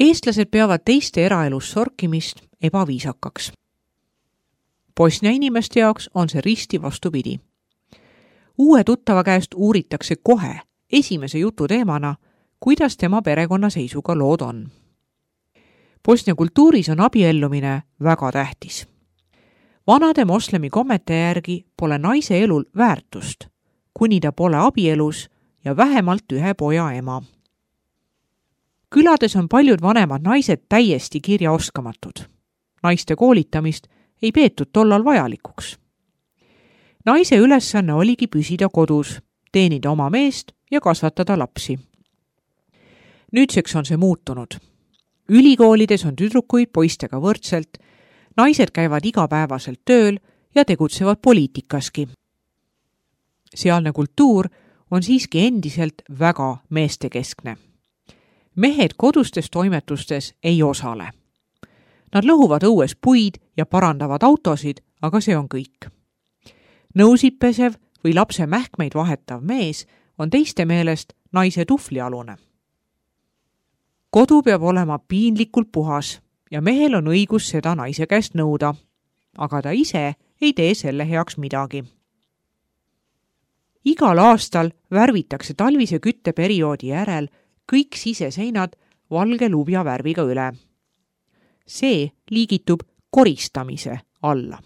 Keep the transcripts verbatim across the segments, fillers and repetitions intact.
Eestlased peavad teiste eraelus sorkimist ebaviisakaks. Bosnia inimeste jaoks on see risti vastupidi. Uue tuttava käest uuritakse kohe esimese jutu teemana, kuidas tema perekonna seisuga lood on. Bosnia kultuuris on abiellumine väga tähtis. Vanade moslemi kommete järgi pole naise elul väärtust, kuni ta pole abielus ja vähemalt ühe poja ema. Külades on paljud vanemad naised täiesti kirjaoskamatud. Naiste koolitamist ei peetud tollal vajalikuks. Naise ülesanne oligi püsida kodus, teenida oma meest ja kasvatada lapsi. Nüüdseks on see muutunud. Ülikoolides on tüdrukuid poistega võrdselt, naised käivad igapäevaselt tööl ja tegutsevad poliitikaski. Sealne kultuur on siiski endiselt väga meestekeskne. Mehed kodustes toimetustes ei osale. Nad lõhuvad õues puid ja parandavad autosid, aga see on kõik. Nõusid pesev või lapse mähkmeid vahetav mees on teiste meelest naise tuflialune. Kodu peab olema piinlikult puhas ja mehel on õigus seda naise käest nõuda, aga ta ise ei tee selle heaks midagi. Igal aastal värvitakse talvise kütteperioodi järel kõik siseseinad valge lubja värviga üle. See liigitub koristamise alla.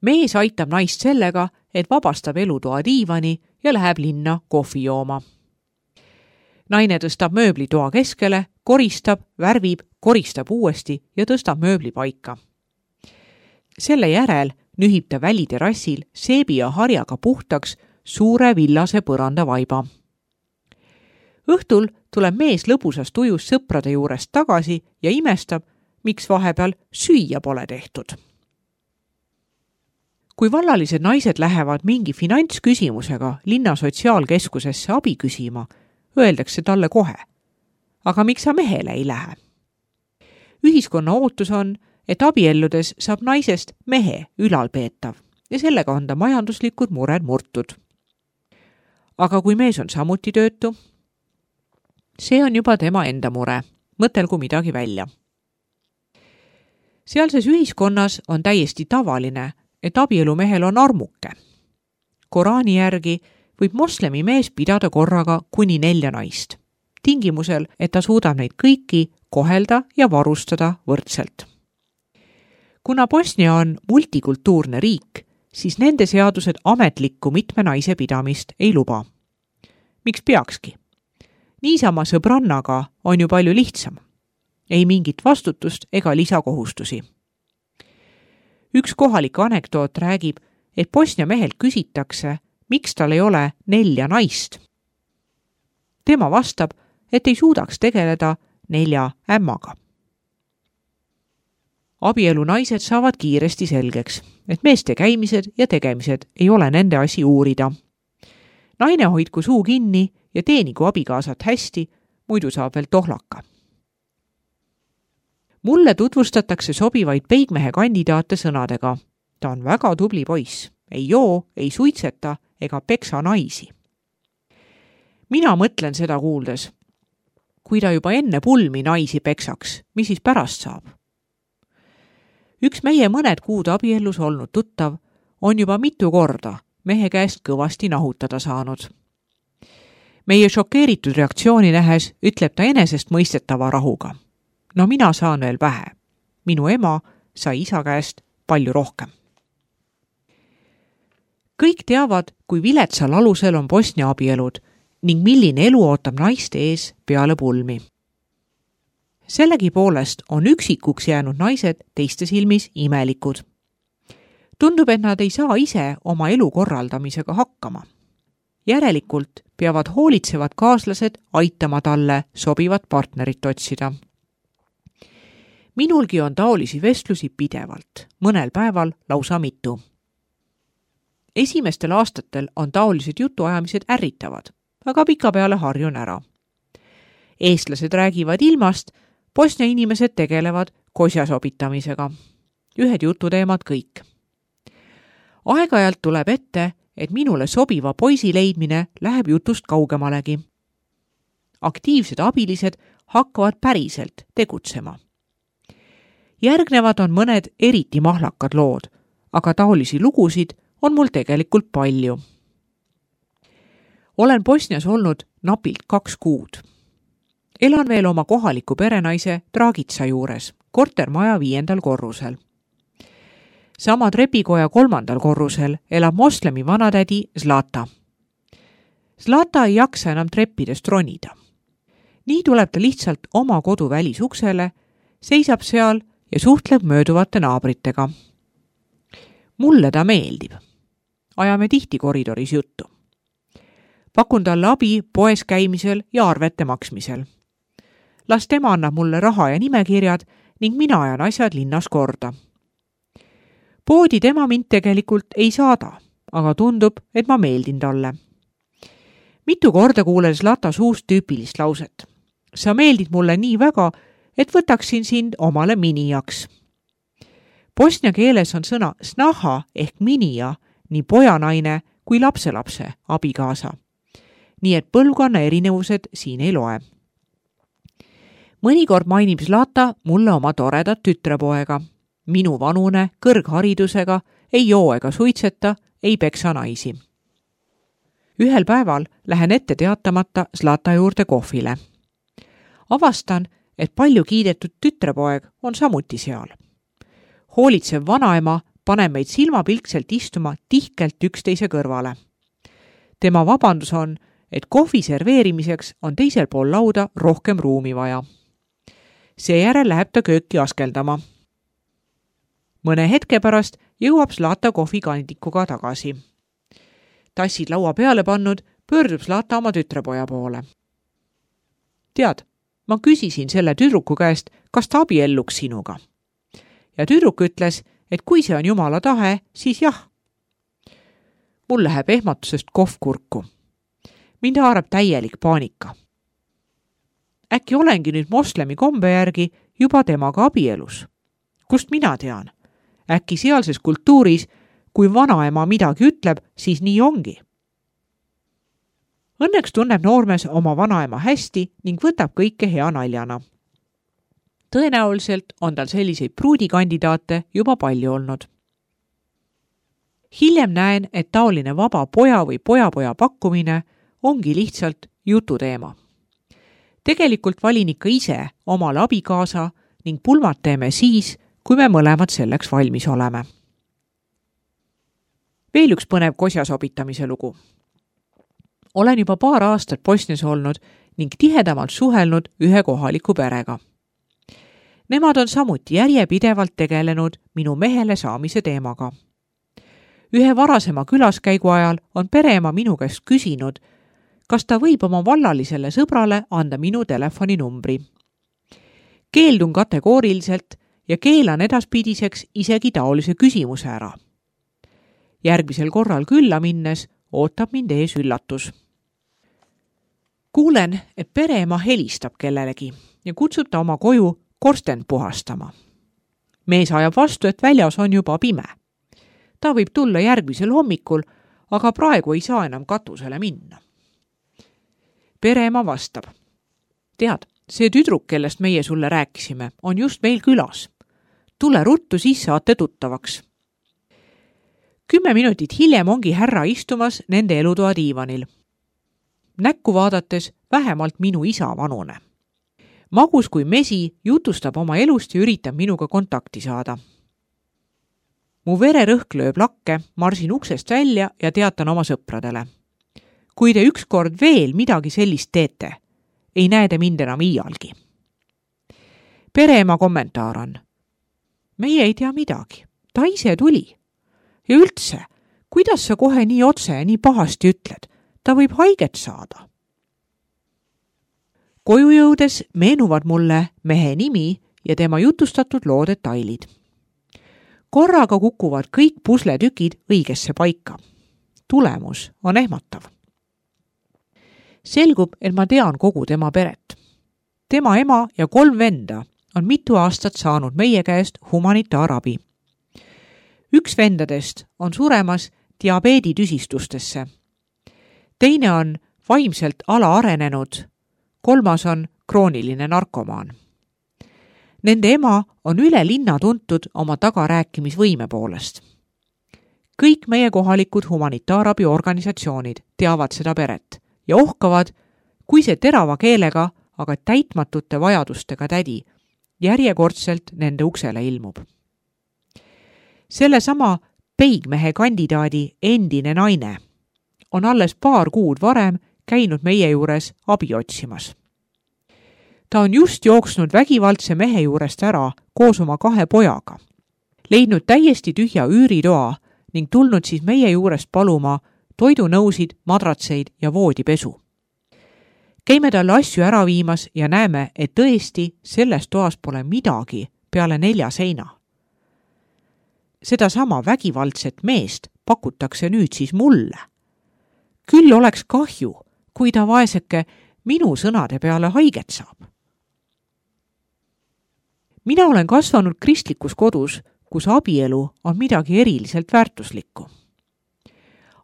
Mees aitab naist sellega, et vabastab elutoa diivani ja läheb linna kohvi jooma. Naine tõstab mööbli toa keskele, koristab, värvib, koristab uuesti ja tõstab mööbli paika. Selle järel nühib ta väliterassil seebi ja harjaga puhtaks suure villase põranda vaiba. Õhtul tuleb mees lõbusas tujus sõprade juurest tagasi ja imestab, miks vahepeal süüa pole tehtud. Kui vallalised naised lähevad mingi finantsküsimusega linna sotsiaalkeskusesse abi küsima, öeldakse talle kohe. Aga miks sa mehele ei lähe? Ühiskonna ootus on, et abielludes saab naisest mehe ülalpeetav ja sellega on ta majanduslikud mured murtud. Aga kui mees on samuti töötu, see on juba tema enda mure, mõtelgu midagi välja. Sealses ühiskonnas on täiesti tavaline, et abielumehel on armuke. Koraani järgi võib moslemi mees pidada korraga kuni nelja naist, tingimusel, et ta suudab neid kõiki kohelda ja varustada võrdselt. Kuna Bosnia on multikultuurne riik, siis nende seadused ametlikku mitme naise pidamist ei luba. Miks peakski? Niisama sõbrannaga on ju palju lihtsam. Ei mingit vastutust ega lisakohustusi. Üks kohalik anekdoot räägib, et Bosnia mehelt küsitakse, miks tal ei ole nelja naist. Tema vastab, et ei suudaks tegeleda nelja ämmaga. Abielu naised saavad kiiresti selgeks, et meeste käimised ja tegemised ei ole nende asi uurida. Naine hoidku suu kinni ja teenigu abikaasat hästi, muidu saab veel tohlaka. Mulle tutvustatakse sobivaid peigmehe kandidaate sõnadega. Ta on väga tubli poiss, ei joo, ei suitseta ega peksa naisi. Mina mõtlen seda kuuldes. Kui ta juba enne pulmi naisi peksaks, mis siis pärast saab? Üks meie mõned kuud abiellus olnud tuttav on juba mitu korda mehe käest kõvasti nahutada saanud. Meie šokeeritud reaktsiooni nähes ütleb ta enesest mõistetava rahuga. No mina saan veel vähe. Minu ema sai isa käest palju rohkem. Kõik teavad, kui viletsal alusel on Bosnia abielud ning milline elu ootab naiste ees peale pulmi. Sellegi poolest on üksikuks jäänud naised teiste silmis imelikud. Tundub, et nad ei saa ise oma elu korraldamisega hakkama. Järelikult peavad hoolitsevad kaaslased aitama talle sobivat partnerit otsida. Minulgi on taolisi vestlusi pidevalt, mõnel päeval lausa mitu. Esimestel aastatel on taolised jutuajamised ärritavad, aga pikapeale harjun ära. Eestlased räägivad ilmast, Bosnia inimesed tegelevad kosja sobitamisega. Ühed jututeemad kõik. Aeg-ajalt tuleb ette, et minule sobiva poisi leidmine läheb jutust kaugemalegi. Aktiivsed abilised hakkavad päriselt tegutsema. Järgnevad on mõned eriti mahlakad lood, aga taolisi lugusid on mul tegelikult palju. Olen Bosnias olnud napilt kaks kuud. Elan veel oma kohaliku perenaise Dragitsa juures, kortermaja viiendal korrusel. Sama trepikoja kolmandal korrusel elab moslemi vanatädi Zlata. Zlata ei jaksa enam treppidest ronida. Nii tuleb ta lihtsalt oma kodu välisuksele, seisab seal ja suhtleb mööduvate naabritega. Mulle ta meeldib. Ajame tihti koridoris juttu. Pakun talle abi poes käimisel ja arvete maksmisel. Las tema annab mulle raha ja nimekirjad ning mina ajan asjad linnas korda. Poodi tema mind tegelikult ei saada, aga tundub, et ma meeldin talle. Mitu korda kuulen Zlata suust tüüpilist lauset. Sa meeldid mulle nii väga, et võtaksin sind omale minijaks. Bosnia keeles on sõna snaha ehk minija, nii pojanaine kui lapselapse abikaasa. Nii et põlvkonna erinevused siin ei loe. Mõnikord mainib Zlata mulle oma toredat tütrepoega. Minu vanune, kõrgharidusega, ei joo ega suitseta, ei peksa naisi. Ühel päeval lähen ette teatamata Zlata juurde kohvile. Avastan, et palju kiidetud tütrepoeg on samuti seal. Hoolitsev vanaema paneb meid silmapilkselt istuma tihkelt üksteise kõrvale. Tema vabandus on, et kohvi serveerimiseks on teisel pool lauda rohkem ruumi vaja. Seejärel läheb ta kööki askeldama. Mõne hetke pärast jõuab Zlata kohvikandikuga tagasi. Tassid laua peale pannud, pöördub Zlata oma tütrepoja poole. Tead, ma küsisin selle tüdruku käest, kas ta abielluks sinuga. Ja tüdruk ütles, et kui see on Jumala tahe, siis jah. Mul läheb ehmatusest kohv kurku. Mind haarab täielik paanika. Äkki olengi nüüd moslemi kombe järgi juba temaga abielus. Kust mina tean? Äkki sealses kultuuris, kui vanaema midagi ütleb, siis nii ongi. Õnneks tunneb noormees oma vanaema hästi ning võtab kõike hea naljana. Tõenäoliselt on tal selliseid pruudikandidaate juba palju olnud. Hiljem näen, et taoline vaba poja või pojapoja pakkumine ongi lihtsalt jututeema. Tegelikult valin ikka ise omale abikaasa ning pulmad teeme siis, kui me mõlemad selleks valmis oleme. Veel üks põnev kosja sobitamise lugu. Olen juba paar aastat Bosnias olnud ning tihedamalt suhelnud ühe kohaliku perega. Nemad on samuti järjepidevalt tegelenud minu mehele saamise teemaga. Ühe varasema külaskäigu ajal on pereema minu käest küsinud, kas ta võib oma vallalisele sõbrale anda minu telefoninumbri. Keeldun kategooriliselt ja keelan edaspidiseks isegi taolise küsimuse ära. Järgmisel korral külla minnes ootab mind ees üllatus. Kuulen, et pereema helistab kellelegi ja kutsub ta oma koju korsten puhastama. Mees ajab vastu, et väljas on juba pime. Ta võib tulla järgmisel hommikul, aga praegu ei saa enam katusele minna. Pereema vastab. Tead, see tüdruk, kellest meie sulle rääkisime, on just meil külas. Tule ruttu, siis saate tuttavaks. Kümme minutit hiljem ongi härra istumas nende elutoa diivanil. Näkku vaadates vähemalt minu isa vanune. Magus kui mesi jutustab oma elust ja üritab minuga kontakti saada. Mu vererõhk lööb lakke, marsin uksest välja ja teatan oma sõpradele. Kui te ükskord veel midagi sellist teete, ei näe te mind enam iialgi. Pereema kommentaar on. Meie ei tea midagi, ta ise tuli. Ja üldse, kuidas sa kohe nii otse ja nii pahasti ütled? Ta võib haiget saada. Koju jõudes meenuvad mulle mehe nimi ja tema jutustatud loo detailid. Korraga kukuvad kõik pusletükid õigesse paika. Tulemus on ehmatav. Selgub, et ma tean kogu tema peret. Tema ema ja kolm venda on mitu aastat saanud meie käest humanitaarabi. Üks vendadest on suremas diabeeditüsistustesse. Teine on vaimselt alaarenenud, kolmas on krooniline narkomaan. Nende ema on üle linna tuntud oma tagarääkimisvõime poolest. Kõik meie kohalikud humanitaarabiorganisatsioonid teavad seda peret ja ohkavad, kui see terava keelega, aga täitmatute vajadustega tädi järjekordselt nende uksele ilmub. Selle sama peigmehe kandidaadi endine naine on alles paar kuud varem käinud meie juures abi otsimas. Ta on just jooksnud vägivaldse mehe juurest ära koos oma kahe pojaga, leidnud täiesti tühja üüritoa ning tulnud siis meie juurest paluma toidunõusid, madratseid ja voodipesu. Käime talle asju ära viimas ja näeme, et tõesti selles toas pole midagi peale nelja seina. Seda sama vägivaldset meest pakutakse nüüd siis mulle. Küll oleks kahju, kui ta vaeseke minu sõnade peale haiget saab. Mina olen kasvanud kristlikus kodus, kus abielu on midagi eriliselt väärtuslikku.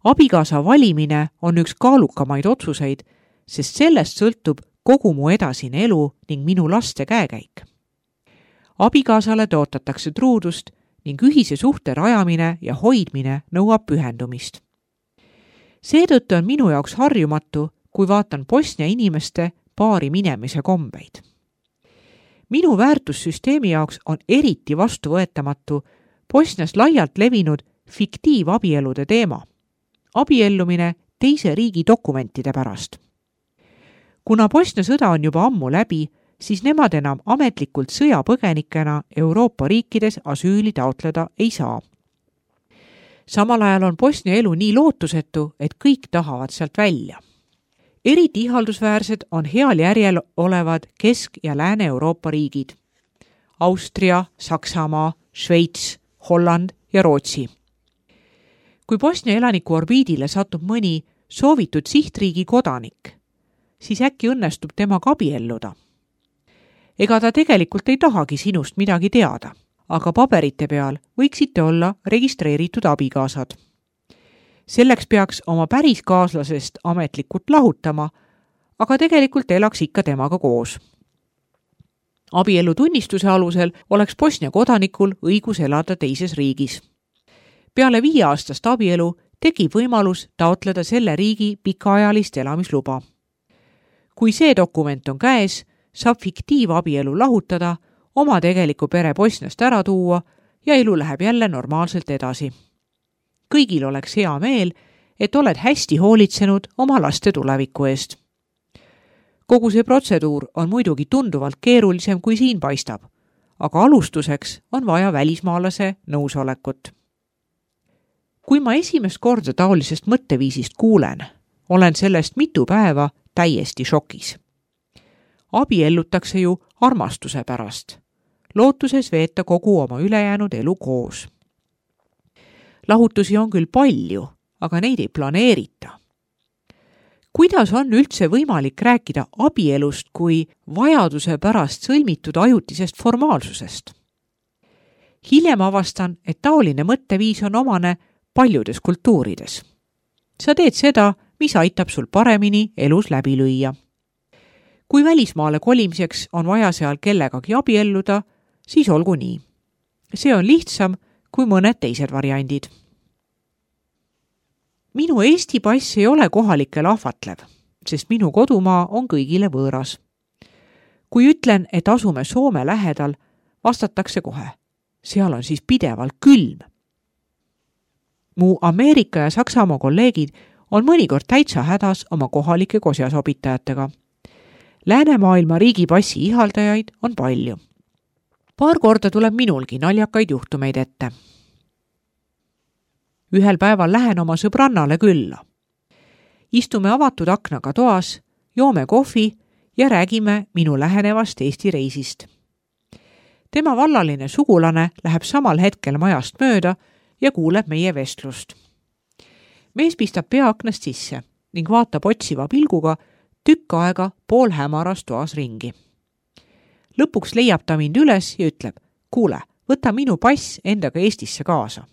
Abikaasa valimine on üks kaalukamaid otsuseid, sest sellest sõltub kogu mu edasine elu ning minu laste käekäik. Abikaasale tõotatakse truudust ning ühise suhte rajamine ja hoidmine nõuab pühendumist. Seetõttu on minu jaoks harjumatu, kui vaatan Bosnia inimeste paari minemise kombeid. Minu väärtussüsteemi jaoks on eriti vastuvõetamatu Bosnias laialt levinud fiktiivabielude teema. Abiellumine teise riigi dokumentide pärast. Kuna Bosnia sõda on juba ammu läbi, siis nemad enam ametlikult sõjapõgenikena Euroopa riikides asüüli taotleda ei saa. Samal ajal on Bosnia elu nii lootusetu, et kõik tahavad sealt välja. Eriti ihaldusväärsed on heal järjel olevad Kesk- ja Lääne-Euroopa riigid. Austria, Saksamaa, Šveits, Holland ja Rootsi. Kui Bosnia elaniku orbiidile satub mõni soovitud sihtriigi kodanik, siis äkki õnnestub temaga abielluda. Ega ta tegelikult ei tahagi sinust midagi teada, aga paberite peal võiksite olla registreeritud abikaasad. Selleks peaks oma päris kaaslasest ametlikult lahutama, aga tegelikult elaks ikka temaga koos. Abielu tunnistuse alusel oleks Bosnia kodanikul õigus elada teises riigis. Peale viieaastast abielu tekib võimalus taotleda selle riigi pikaajalist elamisluba. Kui see dokument on käes, saab fiktiivabielu lahutada, oma tegeliku pere Bosniast ära tuua ja elu läheb jälle normaalselt edasi. Kõigil oleks hea meel, et oled hästi hoolitsenud oma laste tuleviku eest. Kogu see protseduur on muidugi tunduvalt keerulisem kui siin paistab, aga alustuseks on vaja välismaalase nõusolekut. Kui ma esimest korda taolisest mõtteviisist kuulen, olen sellest mitu päeva täiesti šokis. Abiellutakse ju armastuse pärast, lootuses veeta kogu oma ülejäänud elu koos. Lahutusi on küll palju, aga neid ei planeerita. Kuidas on üldse võimalik rääkida abielust kui vajaduse pärast sõlmitud ajutisest formaalsusest? Hiljem avastan, et taoline mõtteviis on omane paljudes kultuurides. Sa teed seda, mis aitab sul paremini elus läbi lüüa. Kui välismaale kolimiseks on vaja seal kellegagi abielluda, siis olgu nii. See on lihtsam kui mõned teised variandid. Minu Eesti pass ei ole kohalikel ahvatlev, sest minu kodumaa on kõigile võõras. Kui ütlen, et asume Soome lähedal, vastatakse kohe. Seal on siis pidevalt külm. Mu Ameerika ja Saksamaa kolleegid on mõnikord täitsa hädas oma kohalike kosjasobitajatega. Läänemaailma riigipassi ihaldajaid on palju. Paar korda tuleb minulgi naljakaid juhtumeid ette. Ühel päeval lähen oma sõbrannale külla. Istume avatud aknaga toas, joome kohvi ja räägime minu lähenevast Eesti reisist. Tema vallaline sugulane läheb samal hetkel majast mööda ja kuuleb meie vestlust. Mees pistab pea aknast sisse ning vaatab otsiva pilguga tükk aega pool hämaras toas ringi. Lõpuks leiab ta mind üles ja ütleb, kuule, võta minu pass endaga Eestisse kaasa.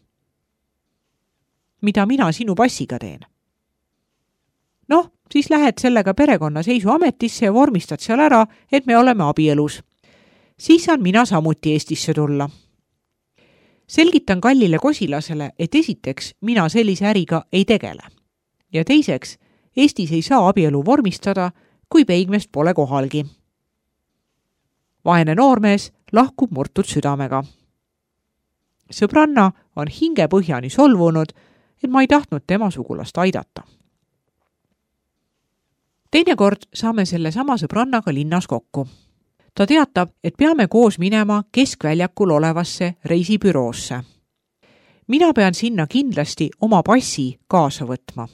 Mida mina sinu passiga teen? Noh, siis lähed sellega perekonnaseisuametisse ja vormistad seal ära, et me oleme abielus. Siis saan mina samuti Eestisse tulla. Selgitan kallile kosilasele, et esiteks mina sellise äriga ei tegele. Ja teiseks, Eestis ei saa abielu vormistada, kui peigmest pole kohalgi. Vaene noormees lahkub murtud südamega. Sõbranna on hingepõhjani solvunud, et ma ei tahtnud tema sugulast aidata. Teinekord saame selle sama sõbrannaga linnas kokku. Ta teatab, et peame koos minema keskväljakul olevasse reisibüroosse. Mina pean sinna kindlasti oma passi kaasa võtma.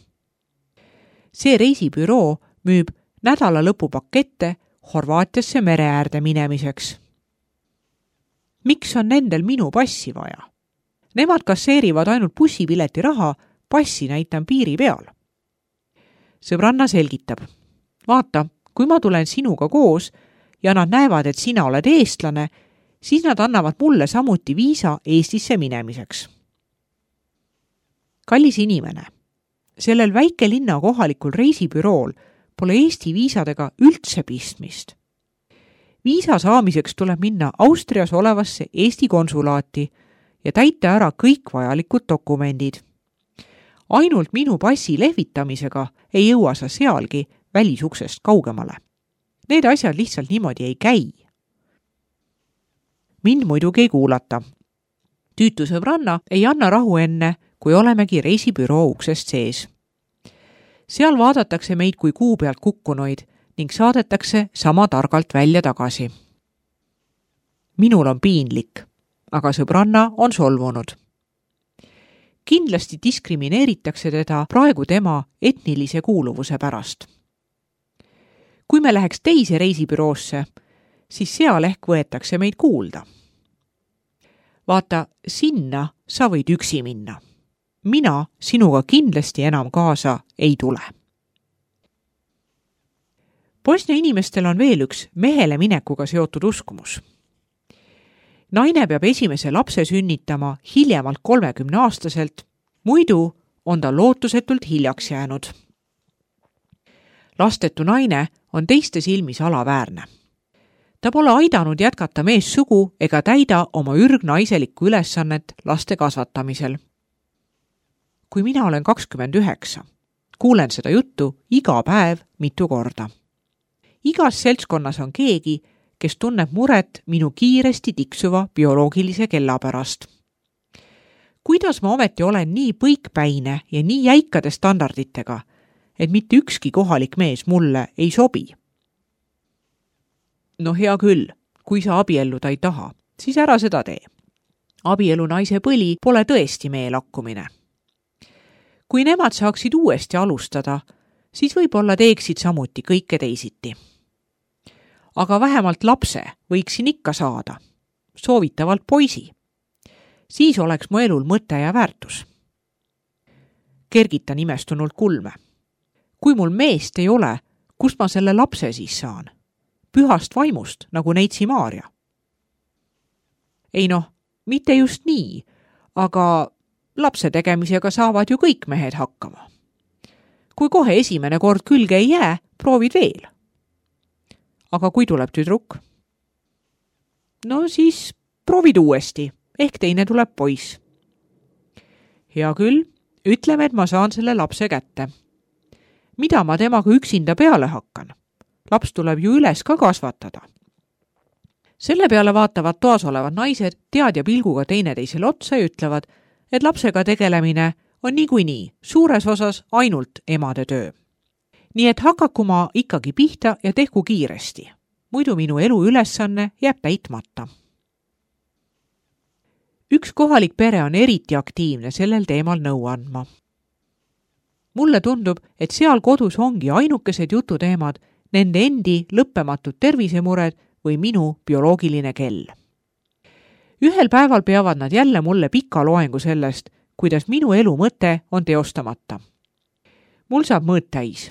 See reisibüroo müüb nädala lõpupakette Horvaatiasse mere äärde minemiseks. Miks on nendel minu passi vaja? Nemad kasseerivad ainult bussipileti raha, passi näitan piiri peal. Sõbranna selgitab. Vaata, kui ma tulen sinuga koos ja nad näevad, et sina oled eestlane, siis nad annavad mulle samuti viisa Eestisse minemiseks. Kallis inimene, sellel väikelinna kohalikul reisibürool pole Eesti viisadega üldse pistmist. Viisa saamiseks tuleb minna Austrias olevasse Eesti konsulaati ja täita ära kõik vajalikud dokumendid. Ainult minu passi lehvitamisega ei jõua sa sealgi välisuksest kaugemale. Need asjad lihtsalt niimoodi ei käi. Mind muidugi ei kuulata. Tüütu sõbranna ei anna rahu enne, kui olemegi reisibüroo uksest sees. Seal vaadatakse meid kui kuu pealt kukkunoid ning saadetakse sama targalt välja tagasi. Minul on piinlik, aga sõbranna on solvunud. Kindlasti diskrimineeritakse teda praegu tema etnilise kuuluvuse pärast. Kui me läheks teise reisibüroosse, siis seal ehk võetakse meid kuulda. Vaata, sinna sa võid üksi minna. Mina sinuga kindlasti enam kaasa ei tule. Bosnia inimestel on veel üks mehele minekuga seotud uskumus. Naine peab esimese lapse sünnitama hiljemalt kolmekümne aastaselt, muidu on ta lootusetult hiljaks jäänud. Lastetu naine on teiste silmis alaväärne. Ta pole aidanud jätkata meessugu ega täida oma ürgnaiselikku ülesannet laste kasvatamisel. Kui mina olen kakskümmend üheksa, kuulen seda juttu iga päev mitu korda. Igas seltskonnas on keegi, kes tunneb muret minu kiiresti tiksuva bioloogilise kella pärast. Kuidas ma ometi olen nii põikpäine ja nii jäikade standarditega, et mitte ükski kohalik mees mulle ei sobi? No hea küll, kui sa abielluda ei taha, siis ära seda tee. Abielu naise põli pole tõesti meie lakkumine. Kui nemad saaksid uuesti alustada, siis võib-olla teeksid samuti kõike teisiti. Aga vähemalt lapse võiksin ikka saada, soovitavalt poisi. Siis oleks mu elul mõte ja väärtus. Kergitan imestunult kulme. Kui mul meest ei ole, kust ma selle lapse siis saan? Pühast vaimust, nagu neitsi Maaria. Ei noh, mitte just nii, aga lapse tegemisega saavad ju kõik mehed hakkama. Kui kohe esimene kord külge ei jää, proovid veel. Aga kui tuleb tüdruk? No siis proovid uuesti, ehk teine tuleb poiss. Hea küll, ütleme, et ma saan selle lapse kätte. Mida ma temaga üksinda peale hakkan? Laps tuleb ju üles ka kasvatada. Selle peale vaatavad toas olevad naised teadja pilguga teineteisele otsa ja ütlevad, et lapsega tegelemine on niikuinii suures osas ainult emade töö. Nii et hakaku ma ikkagi pihta ja tehku kiiresti. Muidu minu elu ülesanne jääb täitmata. Üks kohalik pere on eriti aktiivne sellel teemal nõu andma. Mulle tundub, et seal kodus ongi ainukesed jututeemad nende endi lõppematud tervisemured või minu bioloogiline kell. Ühel päeval peavad nad jälle mulle pika loengu sellest, kuidas minu elu mõte on teostamata. Mul saab mõõt täis.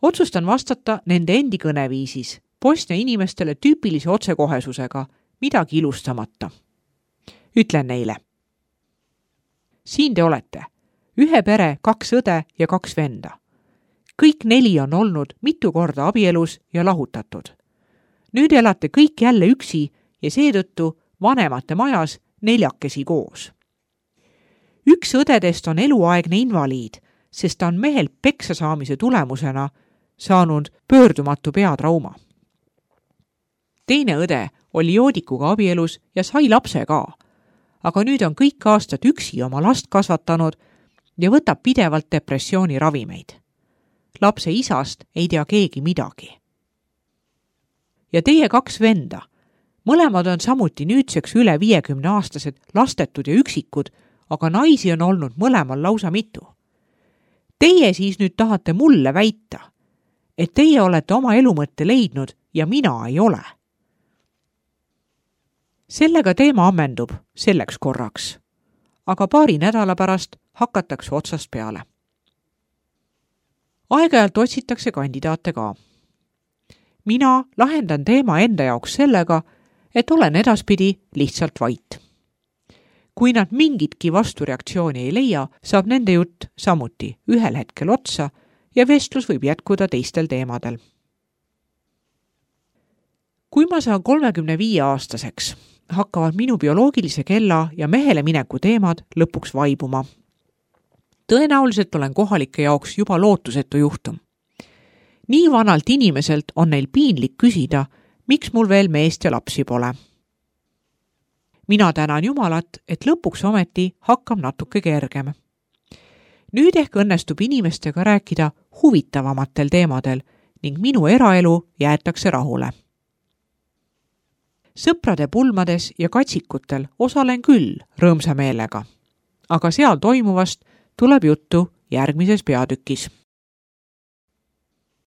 Otsustan vastata nende endi kõneviisis, Bosnia inimestele tüüpilise otsekohesusega, midagi ilustamata. Ütlen neile. Siin te olete. Ühe pere, kaks õde ja kaks venda. kõik neli on olnud mitu korda abielus ja lahutatud. Nüüd elate kõik jälle üksi ja seetõttu vanemate majas neljakesi koos. Üks õdedest on eluaegne invaliid, sest ta on mehelt peksa saamise tulemusena saanud pöördumatu peatrauma. Teine õde oli joodikuga abielus ja sai lapse ka, aga nüüd on kõik aastad üksi oma last kasvatanud ja võtab pidevalt depressiooni ravimeid. Lapse isast ei tea keegi midagi. Ja teie kaks venda, mõlemad on samuti nüüdseks üle viiekümne aastased lastetud ja üksikud, aga naisi on olnud mõlemal lausa mitu. Teie siis nüüd tahate mulle väita, et teie olete oma elumõtte leidnud ja mina ei ole. Sellega teema ammendub selleks korraks, aga paari nädala pärast hakatakse otsast peale. Aeg-ajalt otsitakse kandidaate ka. Mina lahendan teema enda jaoks sellega, et olen edaspidi lihtsalt vait. Kui nad mingitki vastureaktsiooni ei leia, saab nende jutt samuti ühel hetkel otsa ja vestlus võib jätkuda teistel teemadel. Kui ma saan kolmekümne viie aastaseks, hakkavad minu bioloogilise kella ja mehele mineku teemad lõpuks vaibuma. Tõenäoliselt olen kohalike jaoks juba lootusetu juhtum. Nii vanalt inimeselt on neil piinlik küsida, miks mul veel meest ja lapsi pole. Mina tänan Jumalat, et lõpuks ometi hakkab natuke kergem. Nüüd ehk õnnestub inimestega rääkida huvitavamatel teemadel ning minu eraelu jäetakse rahule. Sõprade pulmades ja katsikutel osalen küll rõõmsa meelega, aga seal toimuvast tuleb juttu järgmises peatükis.